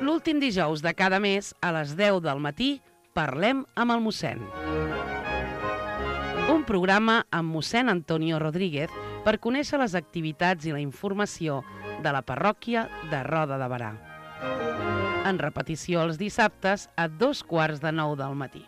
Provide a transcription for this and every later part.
L'últim dijous de cada mes, a les 10 del matí, parlem amb el mossèn. Un programa amb mossèn Antonio Rodríguez per conèixer les activitats i la informació de la parròquia de Roda de Berà. En repetició els dissabtes a 8:45 del matí.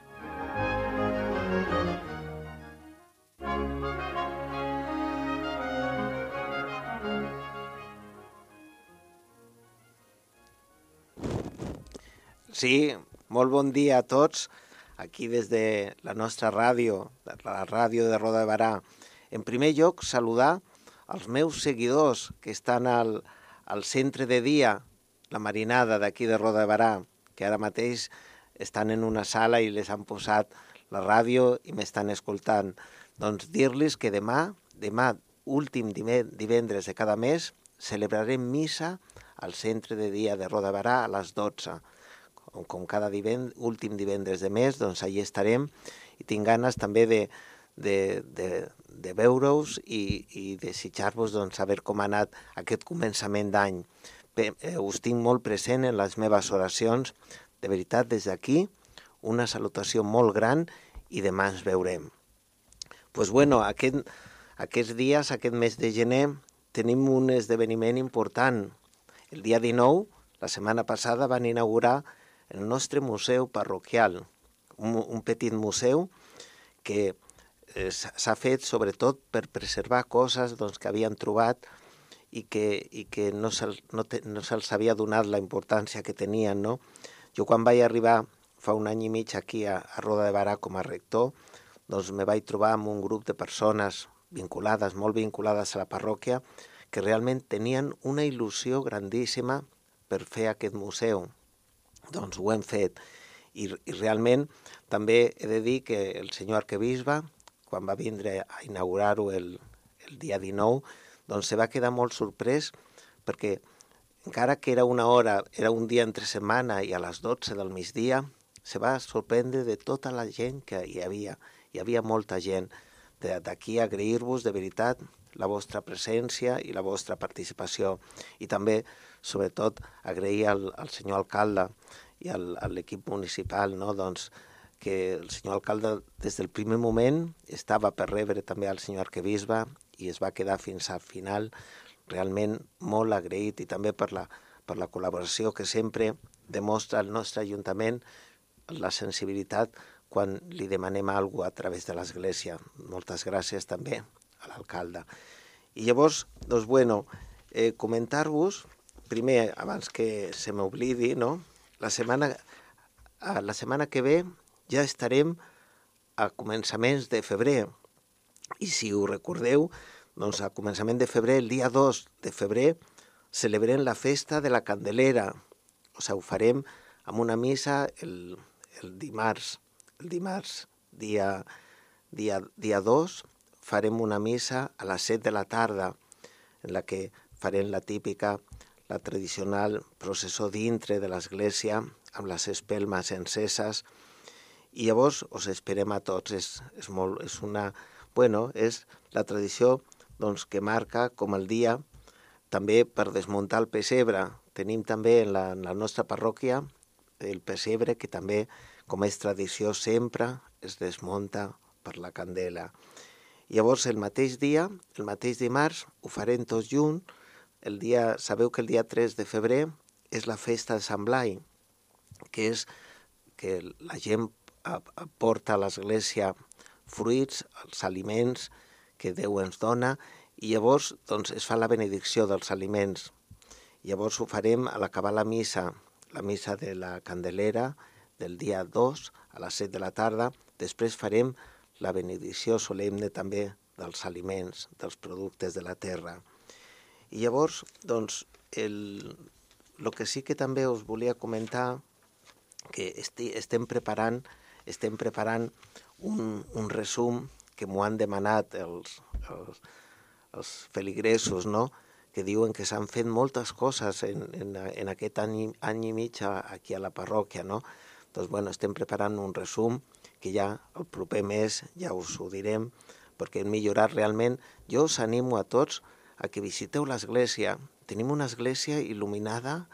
Sí, molt bon dia a tots, aquí des de la nostra ràdio, la ràdio de Roda de Berà. En primer lloc, saludar els meus seguidors que estan al centre de dia, la marinada d'aquí de Roda de Berà, que ara mateix estan en una sala i les han posat la ràdio i m'estan escoltant. Doncs dir-los que demà, últim divendres de cada mes, celebrarem missa al centre de dia de Roda de Berà a les 12. Com cada últim divendres de mes, doncs allà estarem i tinc ganes també de veure-us i desitjar-vos doncs, saber com ha anat aquest començament d'any. Us tinc molt present en les meves oracions. De veritat, des d'aquí, una salutació molt gran i demà ens veurem. Doncs bueno, aquests dies, aquest mes de gener, tenim un esdeveniment important. El dia 19, la setmana passada, van inaugurar el nostre museu parroquial, un petit museu que s'ha fet sobretot per preservar coses doncs, que havien trobat i que no se'ls havia donat la importància que tenien. No? Jo quan vaig arribar fa un any i mig aquí a Roda de Berà com a rector, doncs me vaig trobar amb un grup de persones vinculades, molt vinculades a la parròquia, que realment tenien una il·lusió grandíssima per fer aquest museu. Doncs ho hem fet i realment també he de dir que el senyor arquebisbe, quan va vindre a inaugurar-ho el dia 19, doncs se va quedar molt sorprès perquè encara que era una hora, era un dia entre setmana i a les 12 del migdia, se va sorprendre de tota la gent que hi havia. Hi havia molta gent. D'aquí agrair-vos de veritat la vostra presència i la vostra participació. I també, sobretot, agrair al senyor alcalde i a l'equip municipal, no? Doncs, que el senyor alcalde des del primer moment estava per rebre també al senyor arquebisbe i es va quedar fins al final realment molt agraït i també per la col·laboració que sempre demostra el nostre ajuntament, la sensibilitat quan li demanem alguna cosa a través de l'Església. Moltes gràcies també a l'alcalde. I llavors, doncs, bueno, comentar-vos, primer, abans que se m'oblidi, no? La setmana que ve ja estarem a començaments de febrer. I si ho recordeu, doncs a començament de febrer, el dia 2 de febrer, celebrem la festa de la Candelera. O sigui, ho farem amb una missa el dimarts. El dimarts, dia 2, farem una missa a les 7 de la tarda, en la que farem la típica, la tradicional processó dintre de l'església, amb les espelmes enceses, i llavors us esperem a tots. És la tradició doncs, que marca com el dia també per desmuntar el pessebre. Tenim també en la nostra parròquia el pessebre que també, com és tradició, sempre es desmunta per la candela. Llavors el mateix dia, el mateix dimarts, ho farem tots junts. Sabeu que el dia 3 de febrer és la festa de Sant Blai, que és que la gent porta a l'església fruits, els aliments que Déu ens dona, i llavors doncs, es fa la benedicció dels aliments. Llavors ho farem a l'acabar la missa de la Candelera del dia 2 a les 7 de la tarda. Després farem la benedicció solemne també dels aliments, dels productes de la terra. I llavors, doncs, el que sí que també us volia comentar, que estem preparant un resum que m'ho han demanat els feligresos, no? Que diuen que s'han fet moltes coses en aquest any i mig aquí a la parròquia, no? Doncs, bueno, estem preparant un resum que ja el proper mes ja us ho direm, perquè hem millorat realment. Jo us animo a tots a que visiteu l'església, tenim una església il·luminada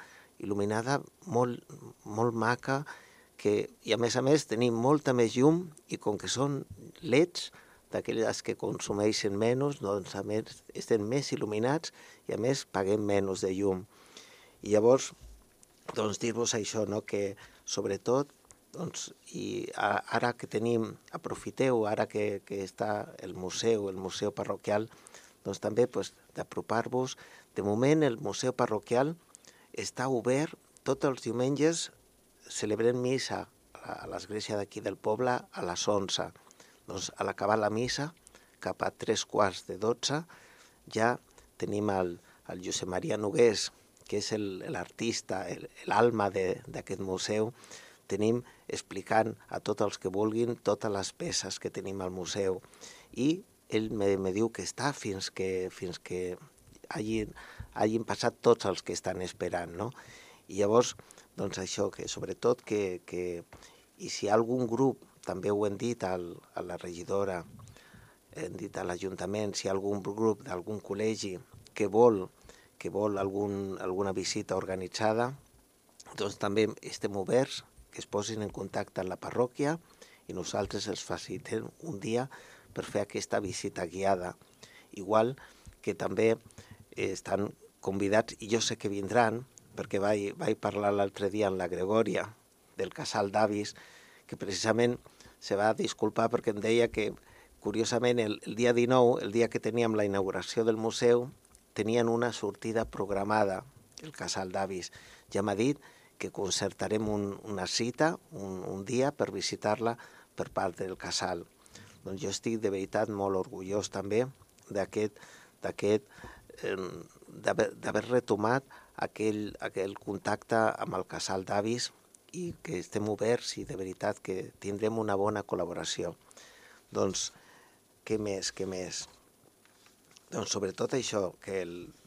molt maca, i a més tenim molta més llum, i com que són LEDs, d'aquelles que consumeixen menys, doncs a més estem més il·luminats i a més paguem menys de llum. I llavors, doncs dir-vos això, no? Que sobretot, doncs, i ara que tenim, aprofiteu, ara que està el museu parroquial, doncs també d'apropar-vos. De moment el museu parroquial està obert tots els diumenges, celebrem missa a l'església d'aquí del poble a les 11. Doncs a l'acabar la missa, cap a 3:15, ja tenim el Josep Maria Nogués, que és l'artista, l'alma d'aquest museu, tenim explicant a tots els que vulguin totes les peces que tenim al museu. I ell me diu que està fins que hagin passat tots els que estan esperant, no? I llavors, doncs això, que sobretot i si hi ha algun grup, també ho hem dit a la regidora, hem dit a l'Ajuntament, si hi ha algun grup d'algun col·legi que vol alguna visita organitzada, doncs també estem oberts, que es posin en contacte amb la parròquia i nosaltres els facilitem un dia per fer aquesta visita guiada. Igual que també estan convidats, i jo sé que vindran, perquè vaig parlar l'altre dia amb la Gregòria del casal d'avis, que precisament se va disculpar perquè em deia que, curiosament, el dia 19, el dia que teníem la inauguració del museu, tenien una sortida programada, el casal d'avis. Ja m'ha dit que concertarem una cita, un dia, per visitar-la per part del casal. Doncs jo estic de veritat molt orgullós també d'haver retomat aquell contacte amb el casal d'avis, i que estem oberts i de veritat que tindrem una bona col·laboració. Doncs, què més? Doncs sobretot això,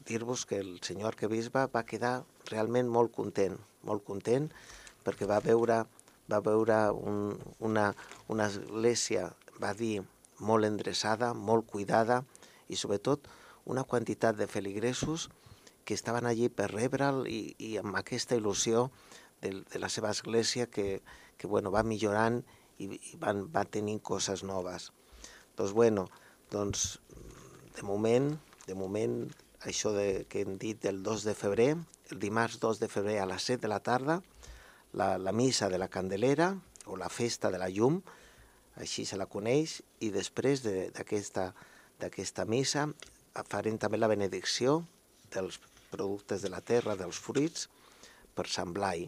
dir-vos que el senyor arquebisbe va quedar realment molt content, perquè va veure una església, va dir, molt endreçada, molt cuidada, i sobretot una quantitat de feligresos que estaven allí per rebre'l i amb aquesta il·lusió de la seva església que va millorant i va tenint coses noves. Doncs, de moment, això que hem dit del 2 de febrer, el dimarts 2 de febrer a les 7 de la tarda, la missa de la Candelera, o la festa de la llum, així se la coneix, i després d'aquesta missa farem també la benedicció dels productes de la terra, dels fruits, per Sant Blai.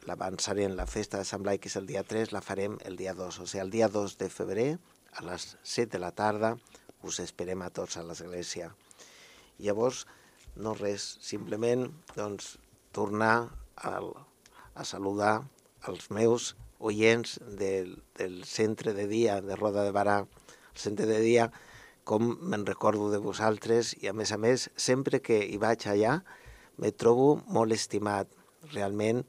L'avançarem, la festa de Sant Blai, que és el dia 3, la farem el dia 2. O sigui, el dia 2 de febrer, a les 7 de la tarda, us esperem a tots a l'església. Llavors, no res, simplement tornar a saludar els meus oients del centre de dia de Roda de Barà. El centre de dia, com me'n recordo de vosaltres, i a més, sempre que hi vaig allà, me trobo molt estimat. Realment,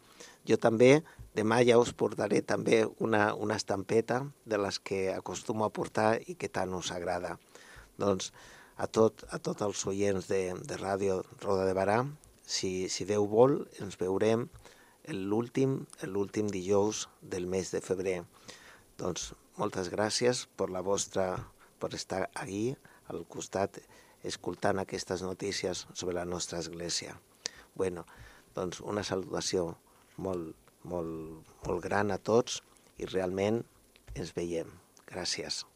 jo també, demà ja us portaré també una estampeta de les que acostumo a portar i que tant us agrada. Doncs a tots els oients de Ràdio Roda de Barà, si Déu vol, ens veurem l'últim dijous del mes de febrer. Doncs moltes gràcies per estar aquí al costat escoltant aquestes notícies sobre la nostra església. Doncs una salutació molt gran a tots i realment ens veiem. Gràcies.